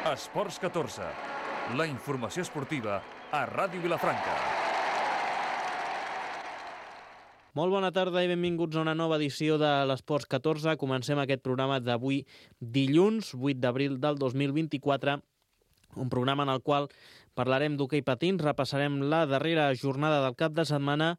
Esports 14, la informació esportiva a Ràdio Vilafranca. Molt bona tarda i benvinguts a una nova edició de l'Esports 14. Comencem aquest programa d'avui dilluns, 8 d'abril del 2024, un programa en el qual parlarem d'hoquei patins, repassarem la darrera jornada del cap de setmana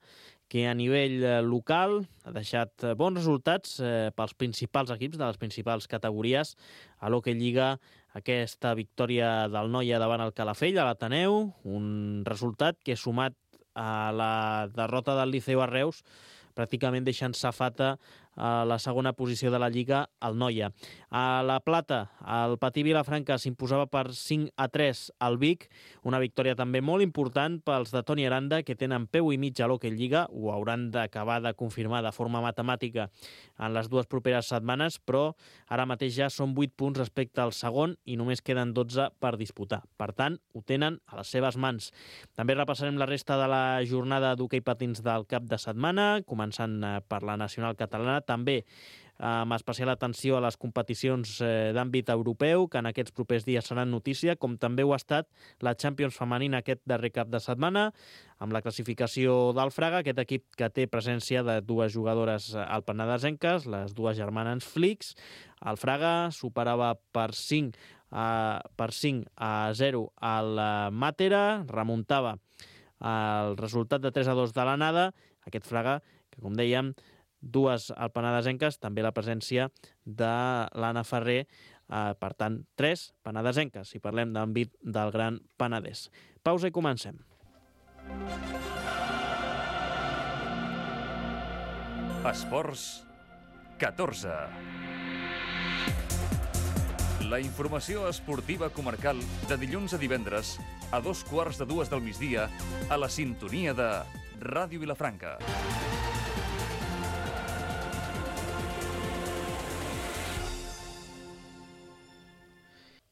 que a nivell local ha deixat bons resultats pels principals equips de les principals categories. A l'Hoquei Lliga, aquesta victòria del Noia davant el Calafell, a l'Ateneu, un resultat que sumat a la derrota del Liceu a Reus pràcticament deixant safata a la segona posició de la Lliga al Noia. A la Plata, el Patí Vilafranca s'imposava per 5-3 al Vic, una victòria també molt important pels de Toni Aranda, que tenen peu i mig a l'Hoquei Lliga, ho hauran d'acabar de confirmar de forma matemàtica en les dues properes setmanes, però ara mateix ja són 8 punts respecte al segon i només queden 12 per disputar. Per tant, ho tenen a les seves mans. També repassarem la resta de la jornada d'hoquei patins del cap de setmana, començant per la nacional catalana, també amb especial atenció a les competicions d'àmbit europeu, que en aquests propers dies seran notícia, com també ho ha estat la Champions femenina aquest darrer cap de setmana, amb la classificació del Fraga, aquest equip que té presència de dues jugadores alpenadesenques, les dues germanes Flix. El Fraga superava per 5 a 0 al Màtera, remuntava el resultat de 3-2 de l'anada, aquest Fraga que, com dèiem, dues alpenadesenques, també la presència de l'Anna Ferrer, per tant, 3 penedesenques, si parlem d'àmbit del Gran Penedès. Pausa i comencem. Esports 14. La informació esportiva comarcal de dilluns a divendres a 2:15 del migdia a la sintonia de Ràdio Vilafranca.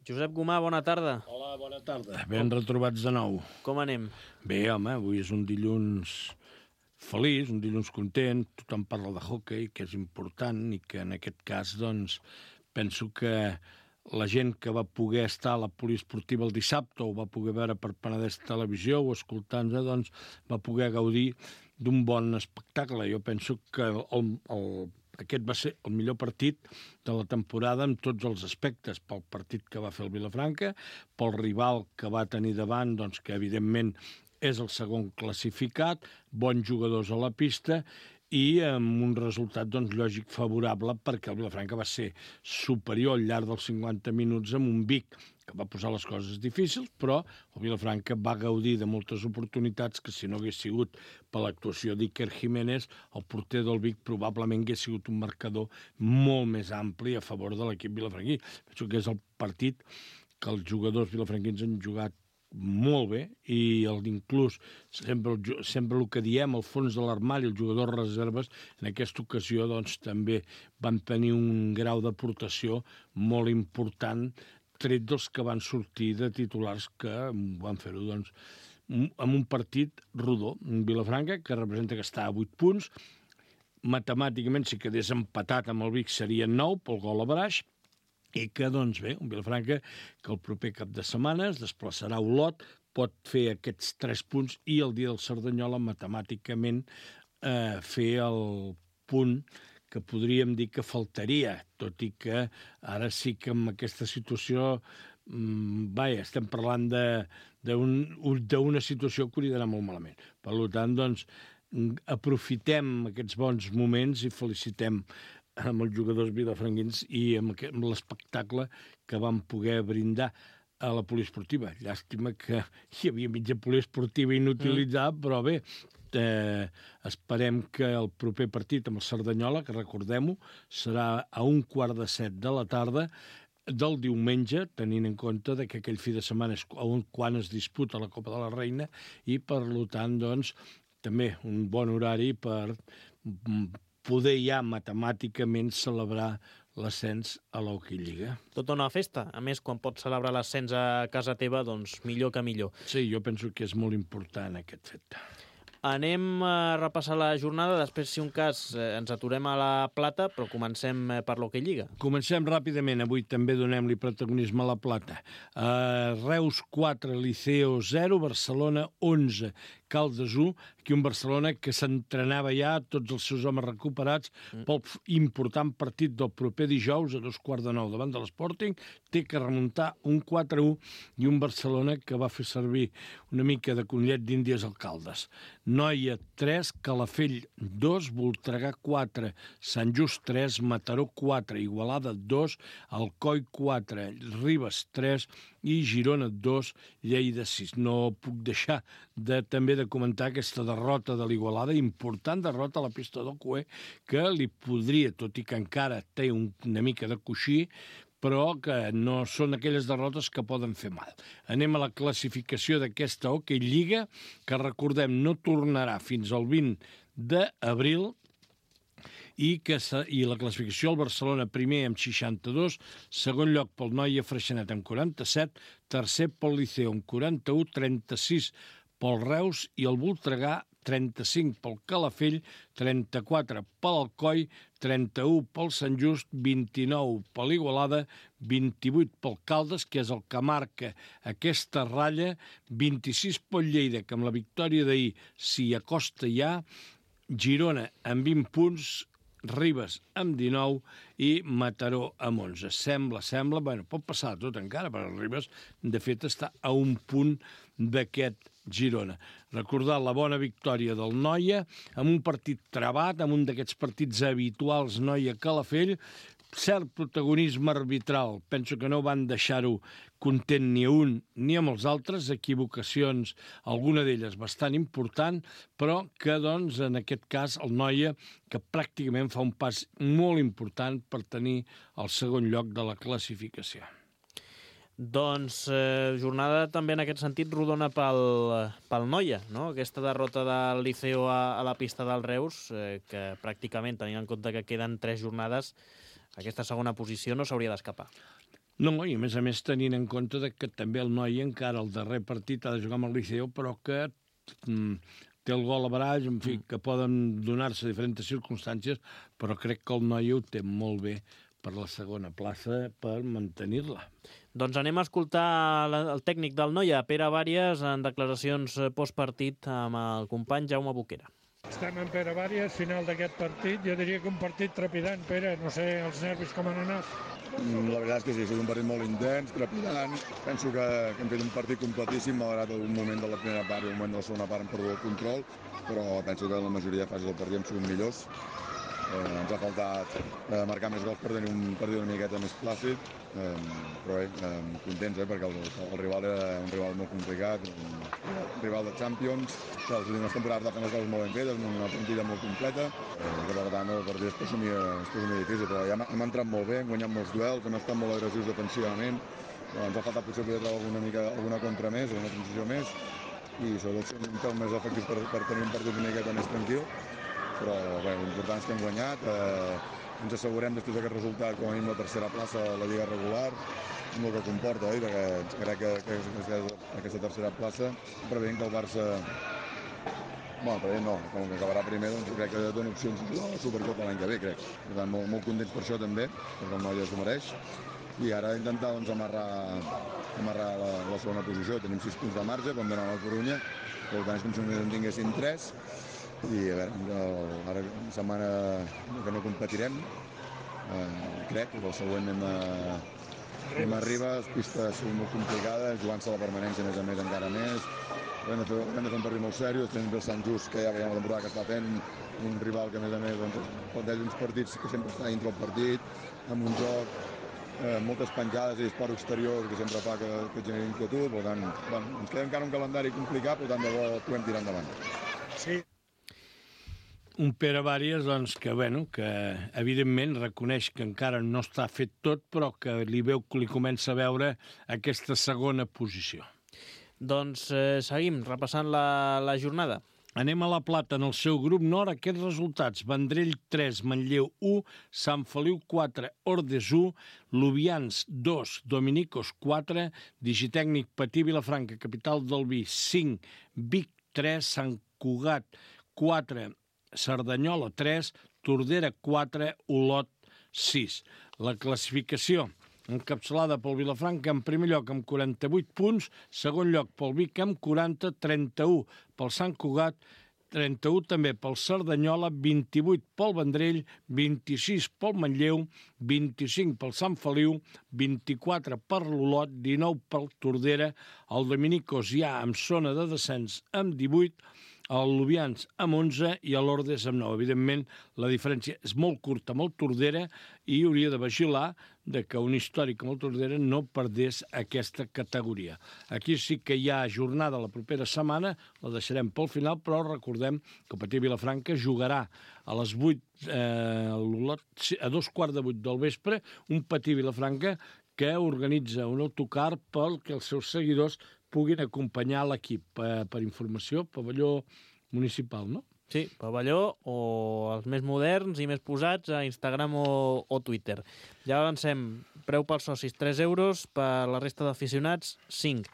Josep Gomà, bona tarda. Hola, bona tarda. Ben retrobats de nou. Com anem? Bé, home, avui és un dilluns feliç, un dilluns content, tothom parla de hoquei, que és important, i que en aquest cas, doncs, penso que la gent que va poder estar a la poliesportiva el dissabte o va poder veure per Penedès Televisió o escoltant-se, doncs, va poder gaudir d'un bon espectacle. Jo penso que aquest va ser el millor partit de la temporada en tots els aspectes, pel partit que va fer el Vilafranca, pel rival que va tenir davant, doncs, que evidentment és el segon classificat, bons jugadors a la pista i amb un resultat, doncs, lògic favorable, perquè el Vilafranca va ser superior al llarg dels 50 minuts amb un Vic que va posar les coses difícils, però el Vilafranca va gaudir de moltes oportunitats que, si no hagués sigut per l'actuació d'Iker Jiménez, el porter del Vic probablement hagués sigut un marcador molt més ampli a favor de l'equip vilafranquí. Penso que és el partit que els jugadors vilafranquins han jugat molt bé, i inclús sempre el que diem, el fons de l'armari, els jugadors reserves, en aquesta ocasió, doncs, també van tenir un grau d'aportació molt important, tret dels que van sortir de titulars que van fer-ho, doncs, amb un partit rodó. Un Vilafranca que representa que està a 8 punts, matemàticament, si quedés empatat amb el Vic serien 9 pel gol a Braix, i que, doncs bé, un Vilafranca que el proper cap de setmana es desplaçarà a Olot, pot fer aquests 3 punts i el dia del Cerdanyola matemàticament fer el punt que podríem dir que faltaria, tot i que ara sí que amb aquesta situació estem parlant d'una situació que hauria d'anar molt malament. Per tant, doncs, aprofitem aquests bons moments i felicitem amb els jugadors vilafranquins i amb l'espectacle que van poder brindar a la poliesportiva. Llàstima que hi havia mitja poliesportiva inutilitzada, però bé, esperem que el proper partit amb el Cerdanyola, que recordem-ho, serà a 6:15 de la tarda del diumenge, tenint en compte que aquell fi de setmana és quan es disputa la Copa de la Reina, i per tant, doncs, també un bon horari per poder ja matemàticament celebrar l'ascens a l'Hoquei Lliga. Tota una festa. A més, quan pots celebrar l'ascens a casa teva, doncs millor que millor. Sí, jo penso que és molt important aquest fet. Anem a repassar la jornada, després, si un cas, ens aturem a la Plata, però comencem per l'Hoquei Lliga. Comencem ràpidament. Avui també donem-li protagonisme a la Plata. Reus 4, Liceo 0, Barcelona 11, Caldes 1, aquí un Barcelona que s'entrenava ja, tots els seus homes recuperats, pel important partit del proper dijous a 8:45 davant de l'Sporting, té que remuntar un 4-1 i un Barcelona que va fer servir una mica de conillet d'Índies al Caldes. Noia 3, Calafell 2, Voltregà 4, Sant Just 3, Mataró 4, Igualada 2, Alcoi 4, Ribes 3 i Girona 2, Lleida 6. No puc deixar també de comentar aquesta derrota de l'Igualada, important derrota a la pista del Cué, que li podria, tot i que encara té una mica de coixí, però que no són aquelles derrotes que poden fer mal. Anem a la classificació d'aquesta Hoquei Lliga, que recordem no tornarà fins al 20 d'abril, i la classificació, el Barcelona primer amb 62, segon lloc pel Noia Freixenet amb 47, tercer pel Liceu amb 41, 36 pel Reus i el Voltregà 35 pel Calafell, 34 pel Alcoi, 31 pel Sant Just, 29 per l'Igualada, 28 pel Caldes, que és el que marca aquesta ratlla, 26 pel Lleida, que amb la victòria d'ahir s'hi acosta ja, Girona amb 20 punts, Ribes amb 19 i Mataró amb 11. Sembla, bueno, pot passar tot encara, però Ribes, de fet, està a un punt d'aquest Girona. Recordar la bona victòria del Noia, amb un partit travat, amb un d'aquests partits habituals Noia-Calafell, cert protagonisme arbitral. Penso que no van deixar-ho content ni a un ni amb els altres, equivocacions, alguna d'elles bastant important, però que, doncs, en aquest cas, el Noia, que pràcticament fa un pas molt important per tenir el segon lloc de la classificació. Doncs jornada també en aquest sentit rodona pel Noia, no? Aquesta derrota del Liceo a la pista del Reus, que pràcticament, tenint en compte que queden 3 jornades, aquesta segona posició no s'hauria d'escapar. No, i a més tenint en compte que també el Noia encara el darrer partit ha de jugar amb el Liceo, però que té el gol a barall, en fi, que poden donar-se diferents circumstàncies, però crec que el Noia ho té molt bé per la segona plaça per mantenir-la. Doncs anem a escoltar el tècnic del Noia, Pere Bàries, en declaracions postpartit amb el company Jaume Boquera. Estem en Pere Bàries, final d'aquest partit. Jo diria que un partit trepidant, Pere. No sé els nervis com han anat. La veritat és que sí, ha estat un partit molt intens, trepidant. Penso que hem fet un partit completíssim, malgrat un moment de la primera part i un moment de la segona part hem perdut el control, però penso que en la majoria de fases del partit hem sigut millors. Ens ha faltat marcar més gols per tenir un partit una miqueta més plàcid, però bé, contents, perquè el rival era un rival molt complicat, un rival de Champions, que les últimes temporades va fer les coses molt ben fetes, amb una plantilla molt completa, que per tant el partit es presumia difícil, però ja hem entrat molt bé, hem guanyat molts duels, hem estat molt agressius defensivament, ens ha faltat potser poder treure alguna contra més, alguna transició més, i sobretot ser un pèl més efectius per tenir un partit una miqueta més tranquil. Però bé, l'important és que hem guanyat, ens assegurem després d'aquest resultat com a mínim la tercera plaça a la Lliga regular, amb el que comporta, perquè crec que aquesta tercera plaça, preveient que el Barça, preveient no, com que acabarà primer, doncs crec que dona opcions a la Supercopa l'any que ve, crec. Per tant, molt contents per això també, perquè el Noia s'ho mereix, i ara intentar doncs, amarrar la segona posició. Tenim 6 punts de marge, com donar la Corunya, per tant és com si només en tinguessin 3, i a veure, ara una setmana que no competirem, crec que el següent anem a Ribes, pistes molt complicades, jugant-se la permanència a més encara més, hem de fer un partit molt seriós, tenim el Sant Just, que ja veiem la temporada que està fent, un rival que a més planteja uns partits que sempre està dintre el partit, amb un joc, moltes penjades i disparo exterior que sempre fa que generi inquietud, per tant, ens queda encara un calendari complicat, per tant de bo podem tirar endavant. Sí. Un Pere Bàries, doncs, que evidentment reconeix que encara no està fet tot, però que li comença a veure aquesta segona posició. Doncs seguim repassant la jornada. Anem a la Plata, en el seu grup nord, aquests resultats. Vendrell 3, Manlleu 1, Sant Feliu 4, Ordes 1, Lubians 2, Dominicos 4, Digitècnic Patí Vilafranca, capital del Vi 5, Vic 3, Sant Cugat 4, Cerdanyola 3, Tordera 4, Olot 6. La classificació encapçalada pel Vilafranca en primer lloc amb 48 punts, segon lloc pel Vic amb 40, 31 pel Sant Cugat, 31 també pel Cerdanyola, 28 pel Vendrell, 26 pel Manlleu, 25 pel Sant Feliu, 24 per l'Olot, 19 pel Tordera, el Dominicos ja amb zona de descens amb 18, el Lubians amb 11 i l'Ordes amb 9. Evidentment, la diferència és molt curta amb el Tordera i hauria de vigilar de que un històric com el Tordera no perdés aquesta categoria. Aquí sí que hi ha jornada la propera setmana, la deixarem pel final, però recordem que el Patí Vilafranca jugarà a les 8, a 2:15 del vespre, un Patí Vilafranca que organitza un autocar perquè els seus seguidors puguin acompanyar l'equip. Per informació, pavelló municipal, no? Sí, pavelló o els més moderns i més posats a Instagram o Twitter. Ja avancem, preu pels socis 3 euros, per la resta d'aficionats 5.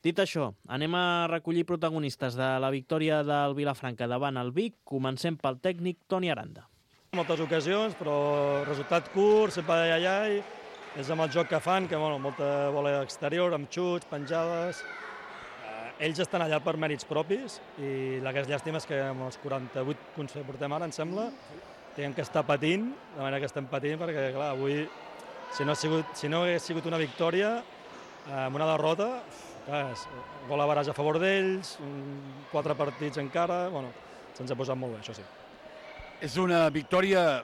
Dit això, anem a recollir protagonistes de la victòria del Vilafranca davant el Vic. Comencem pel tècnic Toni Aranda. Moltes ocasions, però resultat curt, sempre allà, és amb el joc que fan, que molta bola exterior, amb xuts, penjades. Ells estan allà per mèrits propis i la que és llàstima és que amb els 48 punts que portem ara, em sembla, tenen que estar patint, de manera que estem patint, perquè clar, avui, si no hagués sigut una victòria, amb una derrota, clar, gol a baràs a favor d'ells, 4 partits encara, se'ns ha posat molt bé, això sí. És una victòria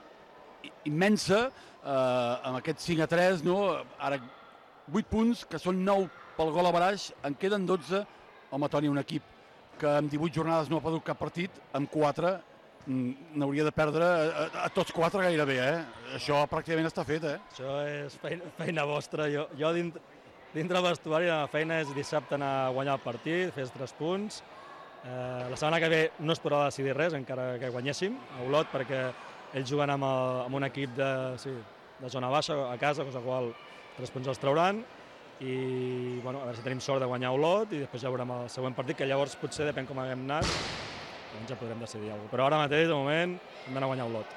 immensa, amb aquest 5-3, no? Ara 8 punts, que són 9 pel gol a baraix, en queden 12. Home, Toni, un equip que amb 18 jornades no ha perdut cap partit, amb 4 n'hauria de perdre a tots 4 gairebé, Això pràcticament està fet, Això és feina vostra. Jo dintre del vestuari la feina és dissabte anar a guanyar el partit, fer 3 punts. La setmana que ve no es podrà decidir res, encara que guanyéssim a Olot, perquè ells juguen amb un equip de zona baixa a casa, cosa qual 3 punts els trauran. I a veure si tenim sort de guanyar Olot i després ja veurem el següent partit, que llavors potser depèn com haguem anat, doncs ja podrem decidir alguna cosa. Però ara mateix, de moment, hem d'anar a guanyar Olot.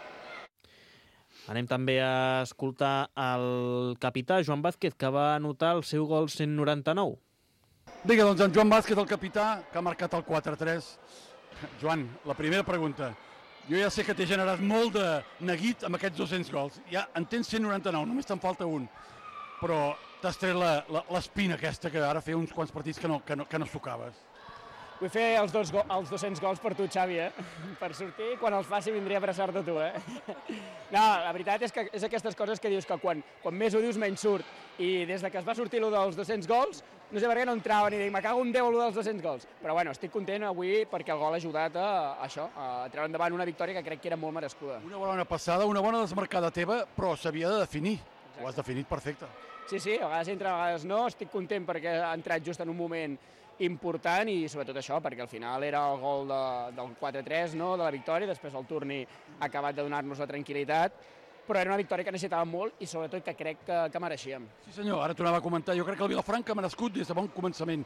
Anem també a escoltar el capità Joan Vázquez, que va anotar el seu gol 199. Vinga, doncs en Joan Vázquez, el capità, que ha marcat el 4-3. Joan, la primera pregunta. Jo ja sé que t'he generat molt de neguit amb aquests 200 gols. Ja en tens 199, només te'n falta un. Però t'has tret l'espina aquesta, que ara feia uns quants partits que no sucaves. Vull fer els 200 gols per tu, Xavi, Per sortir, quan els faci vindria a abraçar-te a tu, No, la veritat és que és aquestes coses que dius que quan més ho dius menys surt. I des que es va sortir allò dels 200 gols, no sé per què no entrava ni dic, me cago en Déu allò dels 200 gols. Però estic content avui perquè el gol ha ajudat a treure endavant una victòria que crec que era molt merescuda. Una bona passada, una bona desmarcada teva, però s'havia de definir. Ho has definit perfecte. Sí, a vegades entra, a vegades no. Estic content perquè ha entrat just en un moment important i sobretot això, perquè al final era el gol del 4-3, no?, de la victòria, després el Turni ha acabat de donar-nos la tranquil·litat, però era una victòria que necessitàvem molt i sobretot que crec que mereixíem. Sí senyor, ara t'ho anava a comentar, jo crec que el Vilafranca ha merescut des de bon començament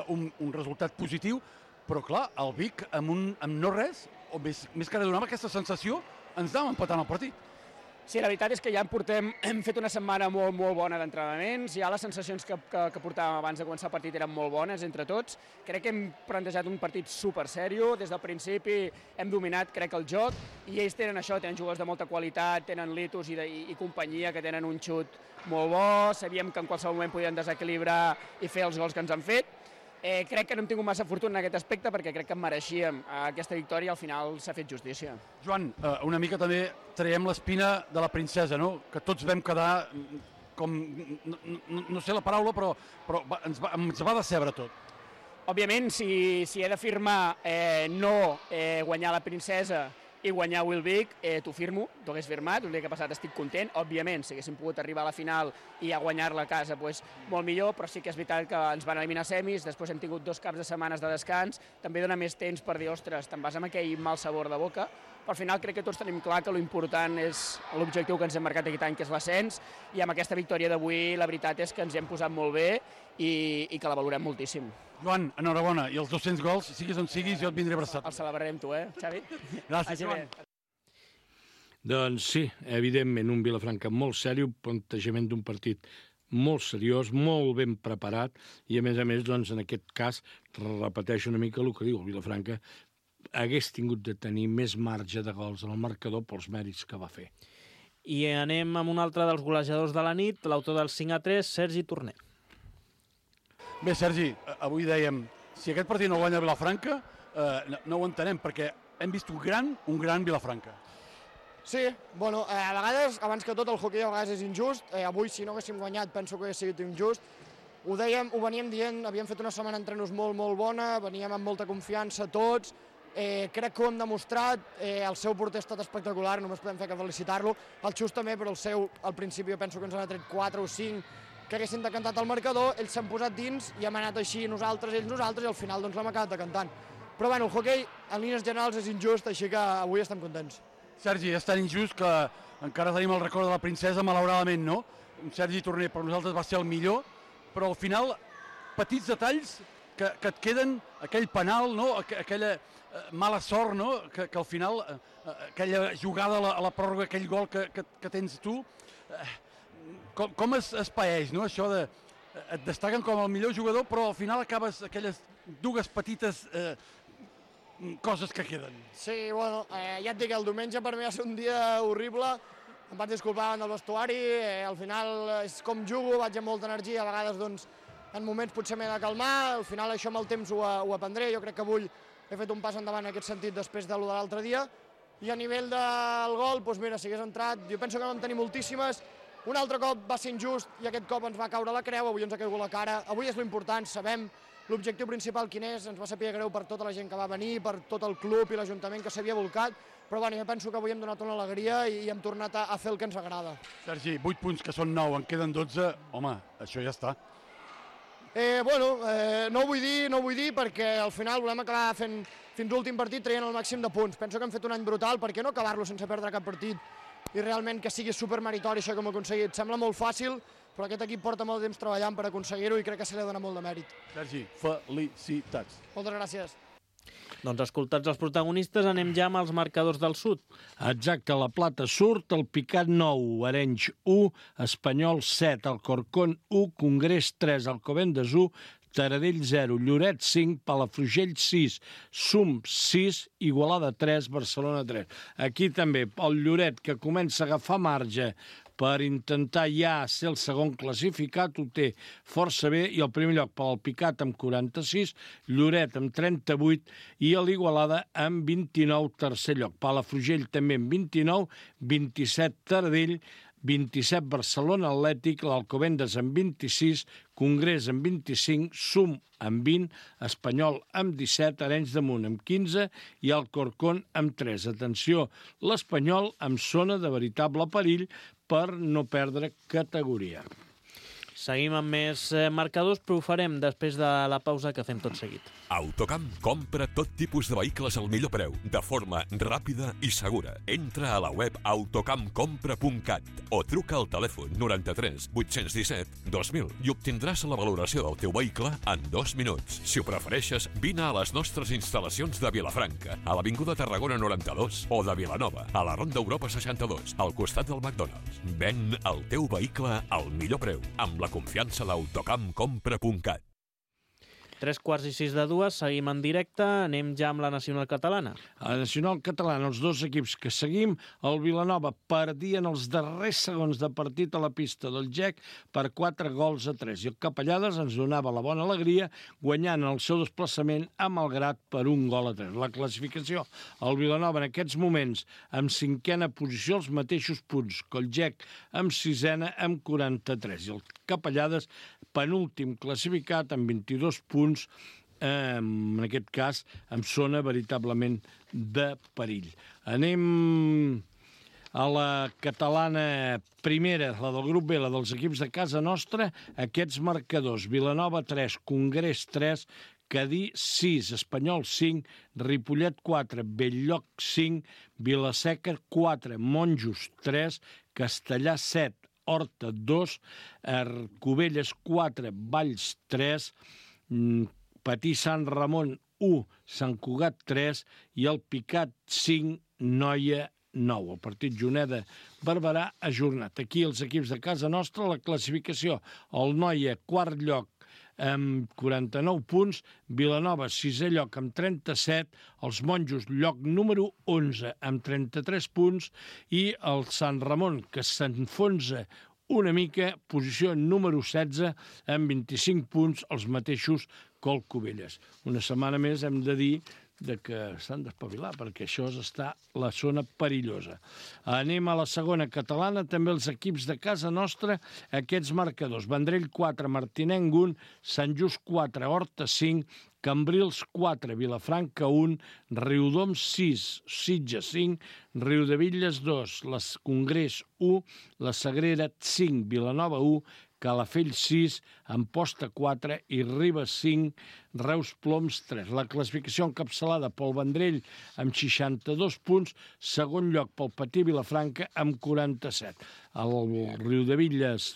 un resultat positiu, però clar, el Vic amb no res, o més que ara donava aquesta sensació, ens anàvem empatant el partit. Sí, la veritat és que ja hem fet una setmana molt, molt bona d'entrenaments, ja les sensacions que portàvem abans de començar el partit eren molt bones entre tots. Crec que hem plantejat un partit super sèrio, des del principi hem dominat, crec, el joc, i ells tenen això, tenen jugadors de molta qualitat, tenen Litus i companyia, que tenen un xut molt bo, sabíem que en qualsevol moment podien desequilibrar i fer els gols que ens han fet. Crec que no hem tingut massa fortuna en aquest aspecte perquè crec que mereixíem aquesta victòria i al final s'ha fet justícia. Joan, una mica també traiem l'espina de la princesa, no? Que tots vam quedar com, no sé la paraula, però ens va decebre tot. Òbviament, si he d'afirmar no guanyar la princesa i guanyar Wilbeek, t'ho firmo, t'ho hagués firmat, el dia que ha passat estic content. Òbviament, si haguéssim pogut arribar a la final i a guanyar-la a casa, doncs molt millor, però sí que és veritat que ens van eliminar semis, després hem tingut 2 caps de setmanes de descans, també dona més temps per dir, ostres, te'n vas amb aquell mal sabor de boca, però al final crec que tots tenim clar que l'important és l'objectiu que ens hem marcat aquest any, que és l'ascens, i amb aquesta victòria d'avui la veritat és que ens hem posat molt bé i que la valorem moltíssim. Joan, enhorabona, i els 200 gols, siguis on siguis, jo et vindré abraçat. El celebrarem tu, Xavi? Gràcies, Joan. Doncs sí, evidentment, un Vilafranca molt sèrio, un plantejament d'un partit molt seriós, molt ben preparat, i a més, doncs, en aquest cas, repeteixo una mica el que diu el Vilafranca, hagués tingut de tenir més marge de gols en el marcador pels mèrits que va fer. I anem amb un altre dels golejadors de la nit, l'autor del 5-3, Sergi Torner. Bé, Sergi, avui dèiem, si aquest partit no guanya Vilafranca, no ho entenem, perquè hem vist un gran Vilafranca. Sí, bueno, a vegades, abans que tot, el hoquei a vegades és injust. Avui, si no haguéssim guanyat, penso que hauria sigut injust. Ho dèiem, ho veníem dient, havíem fet una setmana d'entrenos molt bona, veníem amb molta confiança tots, crec que ho hem demostrat, el seu porter ha estat espectacular, només podem fer que felicitar-lo, el Xus també, però el seu, al principi, jo penso que ens han tret 4 o 5, que haguessin decantat el marcador, ells s'han posat dins i hem anat així nosaltres, i al final doncs l'hem acabat decantant. Però bueno, el hoquei en línies generals és injust, així que avui estem contents. Sergi, és tan injust que encara tenim el record de la princesa, malauradament, no? Un Sergi Torner per nosaltres va ser el millor, però al final, petits detalls que et queden, aquell penal, no? Aquella mala sort, no? Que al final, aquella jugada a la pròrroga, aquell gol que tens tu, com es paeix, no? Això de... Et destaquen com el millor jugador, però al final acabes aquelles dues petites coses que queden. Sí, bueno, ja et dic, el diumenge per mi va ser un dia horrible, em vaig disculpar davant del vestuari, al final és com jugo, vaig amb molta energia, a vegades doncs en moments potser m'he de calmar, al final això amb el temps ho aprendré, jo crec que avui he fet un pas endavant en aquest sentit després de l'altre dia, i a nivell del gol, doncs mira, si hagués entrat, jo penso que vam tenir moltíssimes, un altre cop va ser injust i aquest cop ens va caure la creu, avui ens ha caigut la cara, avui és l'important, sabem l'objectiu principal quin és, ens va saber greu per tota la gent que va venir, per tot el club i l'Ajuntament que s'havia volcat, però bueno, jo penso que avui hem donat una alegria i hem tornat a fer el que ens agrada. Sergi, 8 punts que són 9, en queden 12, home, això ja està. No ho vull dir perquè al final volem acabar fent fins l'últim partit traient el màxim de punts. Penso que hem fet un any brutal, per què no acabar-lo sense perdre cap partit i realment que sigui supermeritori això que hem aconseguit. Sembla molt fàcil, però aquest equip porta molt temps treballant per aconseguir-ho i crec que se li ha donat molt de mèrit. Sergi, felicitats. Moltes gràcies. Doncs escoltats els protagonistes, anem ja amb els marcadors del sud. Exacte, la Plata surt, el Picat 9, Arenys 1, Espanyol 7, Alcorcón 1, Congrés 3, Alcobendas 1, Taradell 0, Lloret 5, Palafrugell 6, Sum 6, Igualada 3, Barcelona 3. Aquí també el Lloret, que comença a agafar marge per intentar ja ser el segon classificat, ho té força bé, i el primer lloc pel Picat amb 46, Lloret amb 38 i l'Igualada amb 29, tercer lloc. Palafrugell també amb 29, 27 Taradell, 27 Barcelona Atlètic, l'Alcobendas amb 26, Congrés amb 25, Sum amb 20, Espanyol amb 17, Arenys de Munt amb 15 i Alcorcón amb 3. Atenció, l'Espanyol amb zona de veritable perill per no perdre categoria. Seguim amb més marcadors, però ho farem després de la pausa que fem tot seguit. Autocamp compra tot tipus de vehicles al millor preu, de forma ràpida i segura. Entra a la web autocampcompra.cat o truca al telèfon 93 817 2000 i obtindràs la valoració del teu vehicle en 2 minuts. Si ho prefereixes, vine a les nostres instal·lacions de Vilafranca, a l'Avinguda Tarragona 92 o de Vilanova, a la Ronda Europa 62, al costat del McDonald's. Ven el teu vehicle al millor preu, amb la confiança d'autocampcompra.cat. 3:06, seguim en directe, anem ja amb la Nacional Catalana. A la Nacional Catalana, els dos equips que seguim, el Vilanova perdia en els darrers segons de partit a la pista del GEC per 4-3. I el Capellades ens donava la bona alegria guanyant el seu desplaçament a Malgrat per 1-3. La classificació, el Vilanova en aquests moments amb 5a posició, els mateixos punts que el GEC amb 6a amb 43. I el Capellades penúltim classificat amb 22 punts, en aquest cas amb zona veritablement de perill. Anem a la catalana primera, la del grup B, la dels equips de casa nostra, aquests marcadors: Vilanova 3, Congrés 3, Cadí 6, Espanyol 5, Ripollet 4, Bell-lloc 5, Vila-seca 4, Monjos 3, Castellà 7, Horta 2, Cubelles 4, Valls 3, Patí Sant Ramon 1, Sant Cugat 3 i el Picat 5, Noia 9. El partit Juneda-Barberà ajornat. Aquí els equips de casa nostra, la classificació. El Noia, quart lloc, amb 49 punts, Vilanova, sisè lloc, amb 37, els Monjos, lloc número 11, amb 33 punts, i el Sant Ramon, que s'enfonsa una mica, posició número 16, amb 25 punts, els mateixos que el Cubelles. Una setmana més hem de dir que s'han d'espavilar, perquè això està la zona perillosa. Anem a la segona catalana, també els equips de casa nostra, aquests marcadors. Vendrell 4, Martinenc 1, Sant Just 4, Horta 5, Cambrils 4, Vilafranca 1, Riudoms 6, Sitges 5, Riudebitlles 2, les Congrés 1, la Sagrera 5, Vilanova 1, Calafell 6, Amposta 4 i Ribes 5, Reus Ploms 3. La classificació encapçalada pel Vendrell amb 62 punts, segon lloc pel Patí Vilafranca amb 47. El Riudebitlles,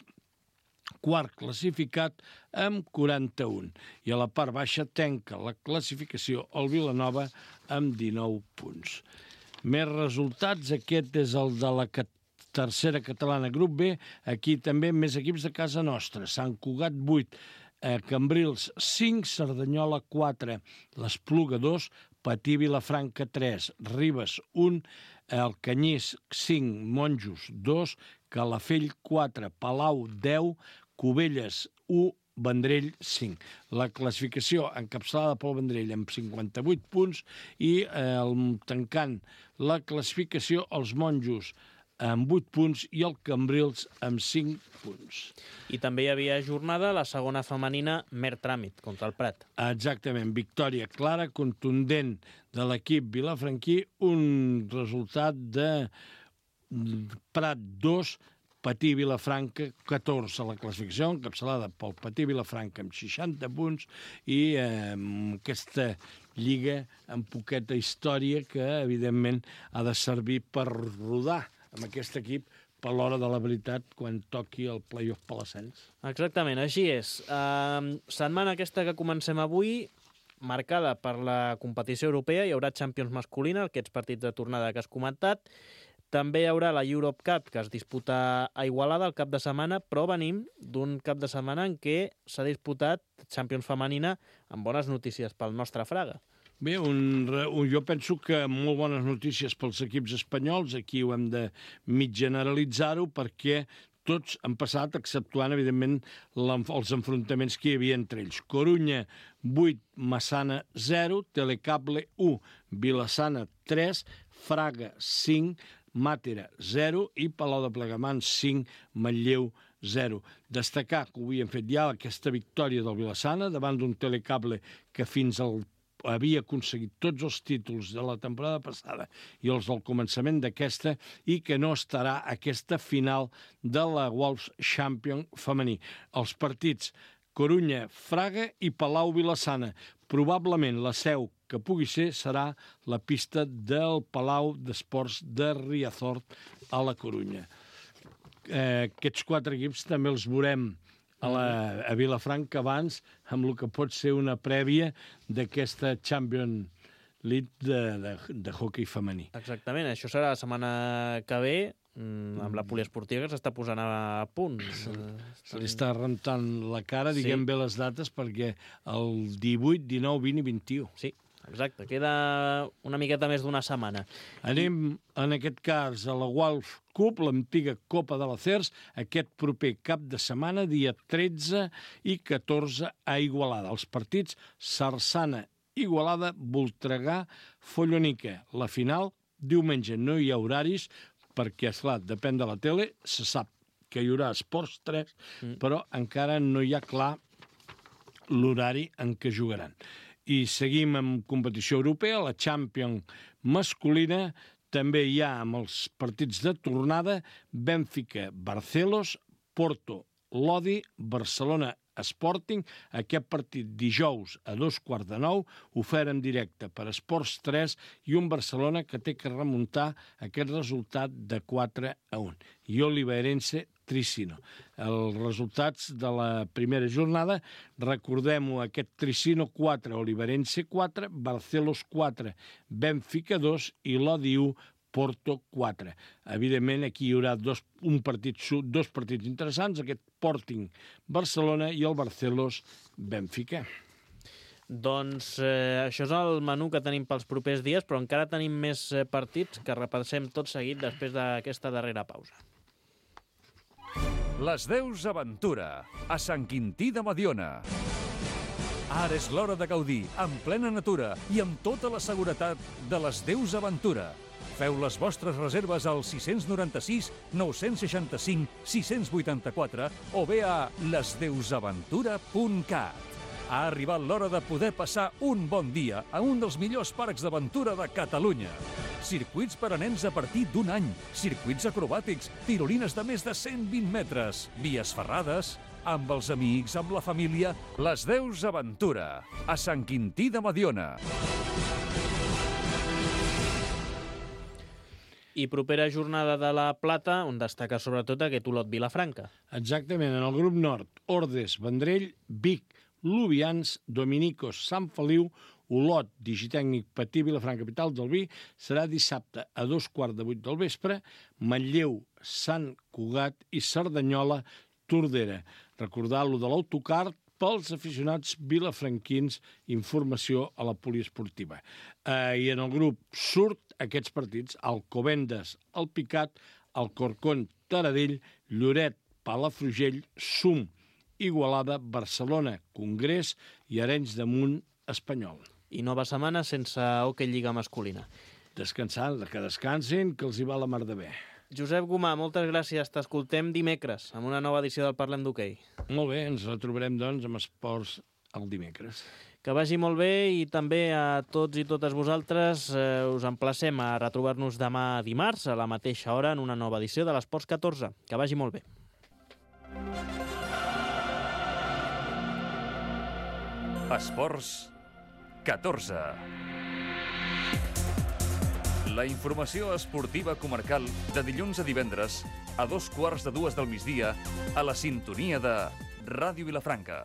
quart classificat amb 41. I a la part baixa tanca la classificació el Vilanova amb 19 punts. Més resultats, aquest és el de la tercera catalana, grup B, aquí també més equips de casa nostra. Sant Cugat 8, Cambrils 5, Cerdanyola 4, l'Espluga 2, Patí Vilafranca 3, Ribes 1, el Canyís 5, Monjos 2, Calafell 4, Palau 10, Cubelles 1, Vendrell 5. La classificació encapçalada pel Vendrell amb 58 punts i tancant la classificació els Monjos amb 8 punts i el Cambrils amb 5 punts. I també hi havia jornada la segona femenina mer tràmit contra el Prat. Exactament, victòria clara, contundent de l'equip vilafranquí, un resultat de Prat 2, Patí Vilafranca 14 a la classificació, encapçalada pel Patí Vilafranca amb 60 punts i aquesta lliga amb poqueta història que, evidentment, ha de servir per rodar amb aquest equip per l'hora de la veritat quan toqui el play-off per l'ascens. Exactament, així és. Setmana aquesta que comencem avui, marcada per la competició europea, hi haurà Champions masculina, aquests partits de tornada que has comentat. També hi haurà la Europe Cup, que es disputa a Igualada el cap de setmana, però venim d'un cap de setmana en què s'ha disputat Champions femenina amb bones notícies pel nostre Fraga. Bé, jo penso que molt bones notícies pels equips espanyols, aquí ho hem de mig generalitzar-ho, perquè tots han passat, exceptuant, evidentment, els enfrontaments que hi havia entre ells. Corunya 8, Massana 0, Telecable 1, Vilassana 3, Fraga 5, Màtera 0 i Palau de Plegamans 5, Manlleu 0. Destacar que ho havien fet ja aquesta victòria del Vilassana davant d'un Telecable que fins havia aconseguit tots els títols de la temporada passada i els del començament d'aquesta i que no estarà aquesta final de la Wolves Champion femení. Els partits Corunya, Fraga i Palau Vilassana. Probablement la seu que pugui ser serà la pista del Palau d'Esports de Riazort a la Corunya. Aquests 4 equips també els veurem a Vilafranca abans amb el que pot ser una prèvia d'aquesta Champions League de hoquei femení. Exactament, això serà la setmana que ve amb la poliesportiva que s'està posant a punt. Se li està rentant la cara, diguem bé les dates, perquè el 18, 19, 20 i 21. Sí, exacte, queda una miqueta més d'una setmana. Anem, en aquest cas, a la Wolf Cup, l'antiga Copa de la CERS, aquest proper cap de setmana, dia 13 i 14 a Igualada. Els partits Sarsana, Igualada, Voltregà, Follonica. La final, diumenge, no hi ha horaris, perquè, esclar, depèn de la tele, se sap que hi haurà Esports 3, però encara no hi ha clar l'horari en què jugaran. I seguim amb competició europea, la Champions masculina, també hi ha amb els partits de tornada Benfica, Barcelos, Porto, Lodi, Barcelona, Sporting. Aquest partit dijous a 8:15, ofert en directe per Esports 3 i un Barcelona que té que remuntar aquest resultat de 4-1. I Oliveirense Tricino. Els resultats de la primera jornada, recordem-ho, aquest Tricino 4, Oliveirense 4, Barcelos 4, Benfica 2 i l'Odi 1, Porto 4. Evidentment, aquí hi haurà dos partits interessants, aquest Sporting-Barcelona i el Barcelos-Benfica. Doncs això és el menú que tenim pels propers dies, però encara tenim més partits que repassem tot seguit després d'aquesta darrera pausa. Les Deus Aventura, a Sant Quintí de Mediona. Ara és l'hora de gaudir, en plena natura i amb tota la seguretat de les Deus Aventura. Feu les vostres reserves al 696 965 684 o bé a lesdeusaventura.cat. Ha arribat l'hora de poder passar un bon dia a un dels millors parcs d'aventura de Catalunya. Circuits per a nens a partir d'un any, circuits acrobàtics, tirolines de més de 120 metres, vies ferrades, amb els amics, amb la família, les Deus Aventura, a Sant Quintí de Mediona. I propera jornada de la Plata, on destaca sobretot aquest Olot Vilafranca. Exactament, en el grup nord, Ordes, Vendrell, Vic, Lubians, Dominicos, Sant Feliu, Olot, Digitècnic, Patí, Vilafranca, capital del vi, serà dissabte a 7:15 del vespre, Manlleu, Sant Cugat i Cerdanyola, Tordera. Recordar-lo de l'autocar pels aficionats vilafranquins, informació a la poliesportiva. I en el grup surt aquests partits, Alcobendas, el Picat, Alcorcón, Taradell, Lloret, Palafrugell, Sum, Igualada, Barcelona, Congrés i Arenys de Munt, Espanyol. I nova setmana sense hoquei lliga masculina. Descansant, que descansin, que els hi va la mar de bé. Josep Gomà, moltes gràcies. T'escoltem dimecres amb una nova edició del Parlem d'Hoquei. Molt bé, ens retrobarem, doncs, amb esports el dimecres. Que vagi molt bé i també a tots i totes vosaltres us emplacem a retrobar-nos demà dimarts a la mateixa hora en una nova edició de l'Esports 14. Que vagi molt bé. Esports 14. La informació esportiva comarcal de dilluns a divendres a 2:15 del migdia a la sintonia de Ràdio Vilafranca.